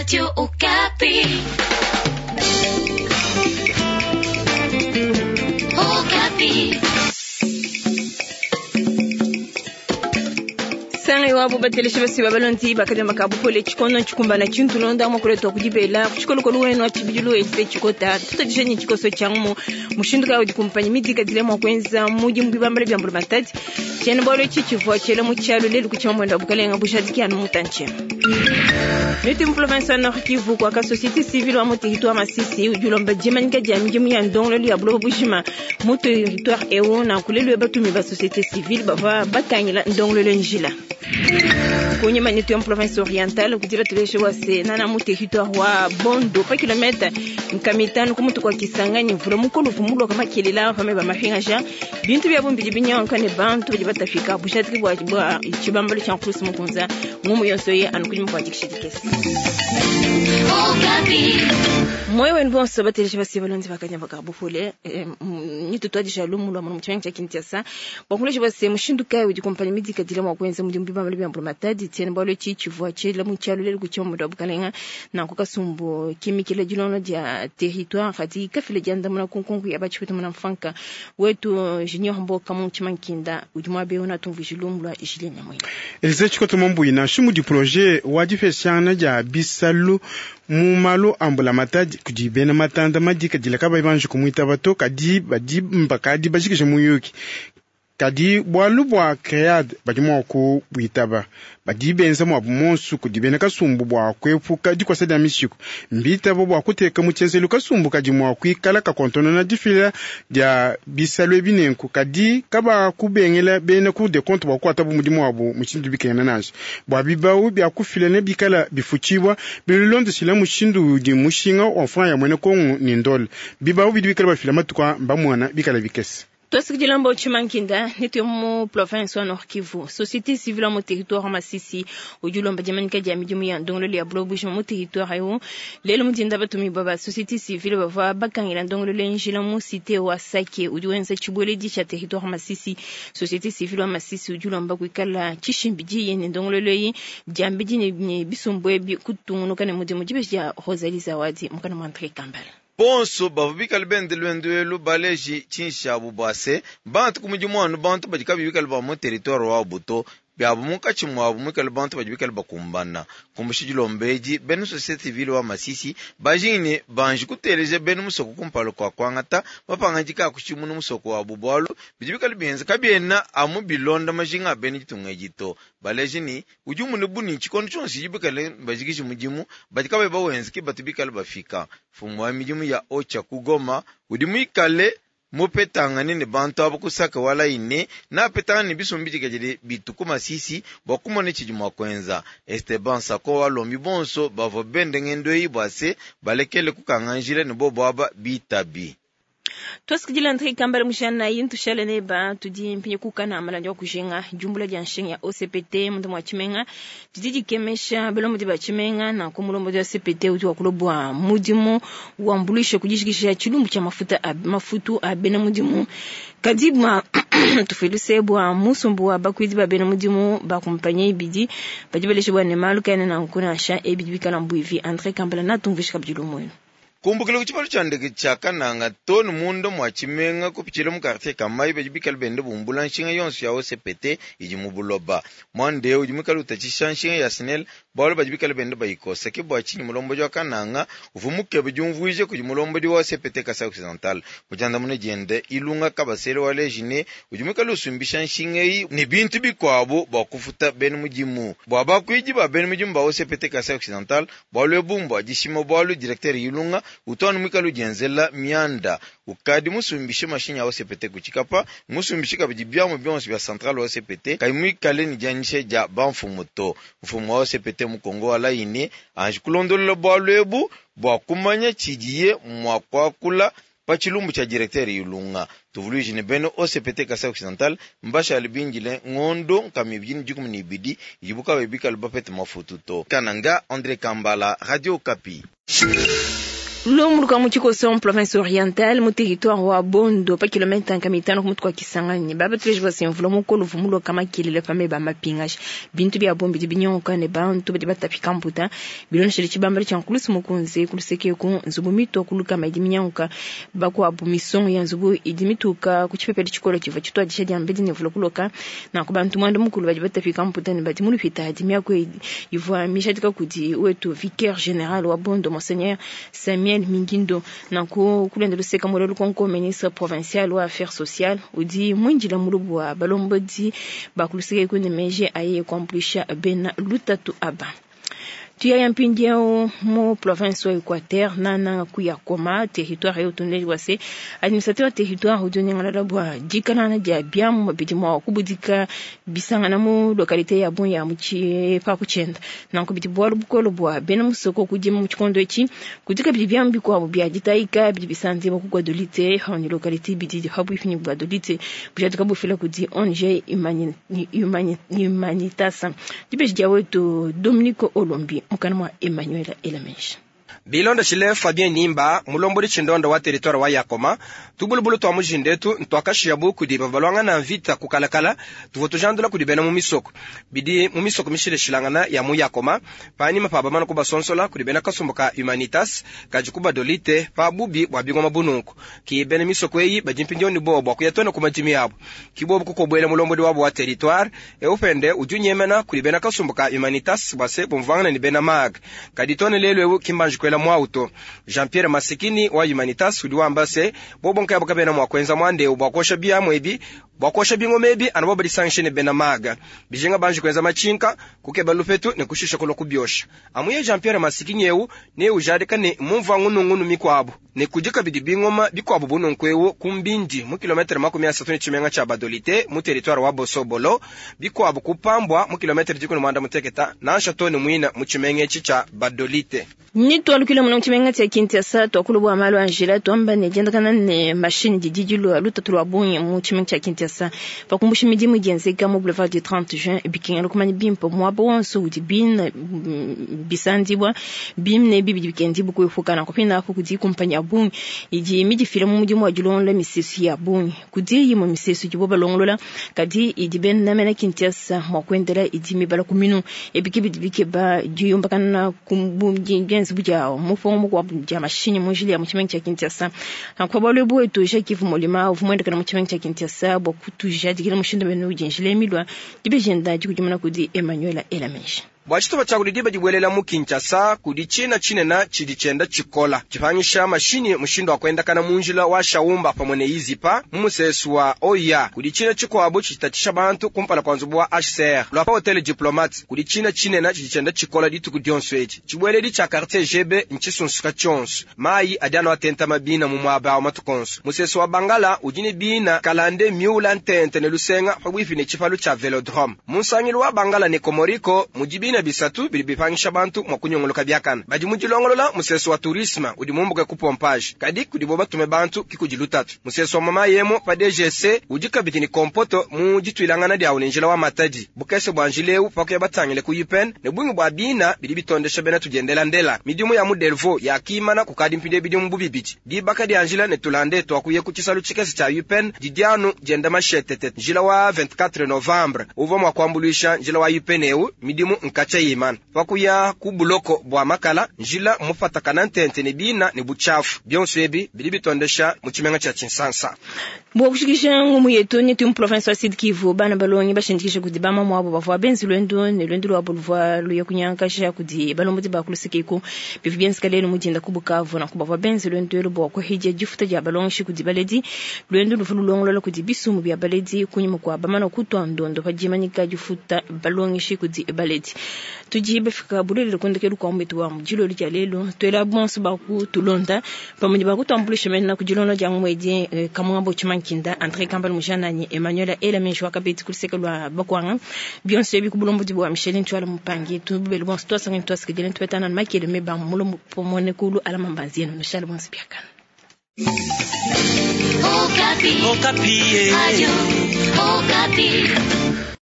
Radio Okapi. Okapi. Sanga iwabo bateleshi basi babalondi bakadema kabupole chikono chikumbana chintulonda mwakuletwa kudibela kuchikolokolo wenu achibidilu ese chikota tutadishenye chikoso changu mushindu kawo dikumpanyi midika dile mwakwenza mudi mubibambale bya mbulu matati chene bolo chichivwa chele muchalo lelu kuchima mwenda bukalenga bushadiki anu mutanche Niti mu province ya Nord Kivu kwa ka société civile wa mu territoire Masisi ujulomba jemanika dia midimu ya ndongololo ya buloba bujima mu territoire eu na kulelu batumi ba société civile bava batangila ndongololo njila kunyima nitu ya mu province orientale kutila tuleshe wase nana mu territoire wa Bondo pa kilomètre nkamitano kumutu kwa Kisangani mvula mukolo vumulwa kama kelela pame ba mafinga bintu bya bumbili binyanka ne bantu badi batafika bushatiki bwa bwa chibambalo cha nkusi mukunza ngumu yonso ye anukunyima kwa dikishidikesi Okapi. moyo wenu bonso bateleshi basi balonzi bakanya bakabufule nitutwadisha lumu lwa muno muchimanyi cha Kinshasa bakuleshi basi mushindu kai udi kompani midika dile mwa kwenza mudi mbiba mali byambulu matadi tiene balo chi chivwa chela muchalo lelu kuchima mudu abukalenga na kukasumbo kimikile dilono dia territoire khati kafile janda muna kunkunku ya bachipetu muna mfanka wetu junior mboka mu chimankinda udi mwabe una tumvishilumbu lumu lwa Julien Nyamwina Elise Tshikoto Mambuina shumu di projet wa difesiana dia bisalu mu malu ambula matadi kudi bena matanda madika dila kabayi banji kumwitaba to kadi badi mbakadi bajikije muyuki kadi bwalu bwa cread badi mua kubwitaba badi benza mwabu monsu kudi bena kasumbu bua kuepuka dikosa dia mishiku mbitabo bua kuteka mu tshienzelu kasumbu kadi mua kuikala kakontonona difila dia bisalu ebi nenku kadi kaba kubengela bena cour des comptes bua kukuatabu mudimu wabu mushindu bikena nansha bua bibawu bia kufila ne bikala bifutshibua bilondeshila mushindu udi mushinga wa franc ya mwene kongo ni ndole bibawu bidi bikala bafila matuku a mbamwana bikala bikese Twasikidila mbo chimankinda nitu mu province wa Nord Kivu société civile mu territoire Masisi ujulomba jamanika dia midimu ya ndongololo ya buloba bujima mu territoire yo lelo mudinda batumi baba société civile bava bakangila ndongololo njila mu cité wa Sake udi wenza chibweledi cha territoire Masisi société civile wa Masisi ujulomba kuikala chishimbi yene ndongololo yi diambidi ne bisumbwe bi kutungunuka ne mudimu jibe ya Rosalie Zawadi mukana mwa André Kambala bonso bavua bikale bende lwendu baleji tshinshabu bua se bantu ku mudimu anu bantu badi kabi bikale ba mu territoire wabu to biabu munkatshi muabu muikale bantu badi bikale bakumbana kumbusha dilomba edi bena société civile wa Masisi bajingine banji kuteleja bena musoko kumpala kua kuangata mapangadika a kushimuna musoko wabu bualu bidi bikale bienza kabiena amu bilonda majinga a bena ditunga edi to baleji ni udi umune buni tshikondo tshionso tshidi bikale bajikiji mudimu badi kabayi bawenza ke batu bikale bafika mfumu wa midimu ya ocha kugoma udi muikale mupetangane ne bantu abo kusaka wala ine napetangane ne bisumbu bidikadile bitu ku Masisi bua kumona tshidi mua kuenza Esteban Sako walombi bonso bavua bende ngendo eyi bua se balekele kukanga njila ne bobo aba bitabi twasikidila André Kambala mushana yintu shale ne ba tudi mpinye kukana amalandi wa kujenga jumbula dia nshinga ya OCPT mundu mwa chimenga tudi dikemesha belomo di ba chimenga na kumulombo dia OCPT udi wa kulobwa mudimu wa mbulisho kujishikisha chilumbu cha mafuta a, mafutu a bena mudimu kadi bwa tufiluse bwa musumbu wa bakwidi ba bena mudimu ba kumpanye ibidi badi baleshe bwa ne malu kana na nkuna sha ebidi bikala mbuivi André Kambala na tumvishika bidilumwenu kumbukila ku tshibalo tshia ndeke tshia kananga tonu munda mua tshimenga kupitshila mu quartier kamai badi bikale bende bumbula nshinga yonso ya OCPT idi mu buloba mwande udi muikale utatshisha nshinga ya SNEL bualu badi bikale bende bayikosa ke bua tshinyi mulombodi wa kananga uvua mukebe diumvuije kudi mulombodi wa OCPT Kasai Occidental mudiandamuna diende ilunga kabasele wa lejine udi muikale usumbisha nshinga eyi ne bintu bikuabu bua kufuta bena mudimu bua bakuidi ba bena mudimu ba OCPT Kasai Occidental bualu ebu mbua dishima bualu directeur ilunga utwanu mwikale udienzela mianda ukadi musumbishe mashinyi a OCPT kutshikapa musumbishe kabidi biamu bionso bia centrale wa OCPT kayi muikale ne dianyisha dia bamfumu to mfumu wa OCPT mu Kongo wa Laine anji kulondolola bualu ebu bua kumanya tshidiye mua kuakula pa tshilumbu tshia directeur Ilunga tuvuluije ne bena OCPT Kasai Occidental mbashale bindile ngondo nkama ibidi ne dikumi ne ibidi idibu kabayi bikale bapete mafutu to Kananga André Kambala Radio Okapi. Lumu luka mu tshikoso mu province orientale mu territoire wa Bondo pa kilomita nkama itano ku mutu kua Kisangani baba tuleji bua se mvula mukolo uvua muloka makelele pa meba a mapingaji bintu bia bungi bidi binyongoka ne bantu badi batapika mputa bilondeshele tshibambalu tshia nkulusu mukunze ku luseke eku nzubu mitua ku lukama idi minyanguka bakuabu misongo ya nzubu idi mituka ku tshipepele tshikole tshivua tshituadija diambedi ne mvula kuloka nanku bantu muanda mukulu badi batapika mputa ne badi mu lupitadi miaku ivua mijadika kudi wetu vicaire general wa Bondo monseigneur Samuel Mingindo nanku kulenda luseka muela lukonko ministre provincial wa affaires sociales udi muindila mulubu wa balombodi ba ku luseke eku ne meji aye kuambuluisha bena lutatu aba. Tuyaya mpindieu mu province wa Equateur nananga ku Yakoma territoire eu tunleji bua se administrateur wa territoire udi unyingalala bua dikanana dia biamu bidi mua kubudika bisangana mu localité ya bungi ya mu tshipapu tshienda nanku bidi bualu bukole bua bena musoko kudima mu tshikondo etshi kudi kabidi biamu bikuabu bia ditayika bidi bisanzibua ku Gbadolite ni localité bidi pabuipi ne Gbadolite bujadika bufila kudi ONG Humanitas. Dibeji dia wetu Dominique Olombi mukana mwa Emmanuel Elamesha. Bilondeshile Fabien Nimba mulombodi tshindonda wa territoire wa Yakoma tubulubulu twa mujindetu ntwakashiya bukudi bava balwangana mvita kukalakala tuvua tujandula kudi bena mu misoko bidi mu misoko mishileshilangana ya mu Yakoma panyima pa bamana kubasonsola kudi bena kasumbu ka Humanitas kadi kubadolite pa bubi bua bingoma bununku ki bena misoko eyi badi mpindieu ne bowa bua kuya tona ku madimi abu kibobu kukobuela mulombodi wabo wa territoire eupende udi unyemena kudi bena kasumbu ka Humanitas bua se bumvuangana ne bena mag kadi tona lelu eu kimbanji kuela mwauto Jean-Pierre Masikini wa Humanitas udi wamba se bobo nkayabo kabena mua kuenza muandeu bua kuosha biamu ebi bua kuosha bingoma ebi anu bo badisangishe ne bena maga bijinga banji kuenza matshinka kukeba lupetu ne kushisha kulua kubiosha amuye Jean-Pierre Masikini eu ne ujadika ne mumvua ngunungunu mikuabu ne kudi kabidi bingoma bikuabu bununku eu ku Mbindi mu kilometre 30 ne tshimenga tshia Badolite mu territoire wa Bosobolo bikuabu kupambwa mu kilometre 16 nansha tone muina mu tshimenga etshi tshia Badolite. Ni twalukile muno mu tshimenga tshia Kinshasa twakulu bua malu a njila twamba ne diendakana ne mashini didi dilua lutatu lua bungi mu tshimenga tshia Kinshasa pakumbusha midimu idi yenzeka mu boulevard du 30 juin bikengela kumanya bimpe muaba wonso udi bina bisandibua bimne bibidi bikendibua kuepuka nanku pina apo kudi kumpanyi ya bungi idi midifila mu mudimu wa dilongolola misesu ya bungi kudi imue misesu idibo balongolola kadi idi bena mena Kinshasa mua kuendela idi mibala ku minu ebiki bidi bikeba diyumbakana ku dienza dia mufongo mukuabu dia mashinyi mu njila ya mu tshimenga tshia Kinshasa nanku bualu ebu wetu Jacques Molima uvua muendekana mu tshimenga tshia Kinshasa bua kutujadikila mushindu mene udi njila emilua dibejenda dikudimuna kudi Emmanuel Elamesha. Bua tshitupa tshia kudi diba dibuelela mu Kinshasa kudi tshina tshinene tshidi tshienda tshikola tshipangisha mashinyi mushindu wa kuendakana mu njila wa Shaumba pamue ne Izipa mu musesu wa Oya kudi tshina tshikuabu tshitatshisha bantu kumpala kua nzubu wa HCR lua pa hotel Diplomate kudi tshina tshinene tshidi tshienda tshikola dituku dionso edi tshibueledi tshia quartier GB ntshisunsuka tshionso mayi adi anu atenta mabina mu muaba wa matuku onso musesu wa Bangala udi ne bina kalande miula ntente ne lusenga pabuipi ne tshipalu tshia Velodrome mu nsangilu wa Bangala ne Komoriko mudi bina bisatu bidi bipangisha bantu mua kunyongoloka biakana badi mu dilongolola musesu wa tourisme udi mumbuke ku pompage kadi kudibo batume bantu kikudi lutatu musesu wa mama yemo pa DGC udi kabidi ne kompoto mu dituilangana diawu ne njila wa Matadi bukese bua njila eu pakuya batangile ku UPN ne bungi bua bina bidi bitondesha bena tudiendela ndela midimu ya mu Delvaux ya kimana kukadi mpinde bidimu bubibidi dibaka dia njila ne tulande twakuye ku tshisalu tshikese tshia UPN didianu dienda mashetete njila wa 24 novembre uvua mua kuambuluisha njila wa UPN eu midimu nkatsha imana pakuya ku buloko bua makala njila mupatakana ntente ne bina ne buchafu bionso ebi bidi bitondesha mu tshimenga tshia Tshinsansa. Bua kushikisha ngumu yetu ni tu province wa Sud Kivu bana balongi bashindikisha kudi bama mwabo bavua benzi lwendo ne lwendo lwabo luvua luya kunyankasha kudi balombodi ba kulusikiku bivu byenzeka lelu mudinda ku Bukavu nanku bavua benzi lwendo elu bua kuhidya difuta dia balongeshi kudi baledi lwendo luvua lulongolola kudi bisumu bia baledi kunyima kua bamana kutua ndondo pa dimanyika difuta balongeshi kudi baledi. Tudi bafika bulelele kundekelu kua mwetu wa mudilolo dia lelu tuela bonso bakutulonda pamue bakutuambulisha mena kudilonda dia mwedi kamwambo tshimankinda André Kambal Mujanani Emmanuel Elameji wakabeti kuluseke lwa bakwanga bionso ebi kubulombodi bua Micheline Twala Mupangi tubele bonso twasanga twasikidile tupetana makele meba mulombo pomone kulu alama mbanzienu nushale bonso biakana. Okapi. Okapi. Radio Okapi.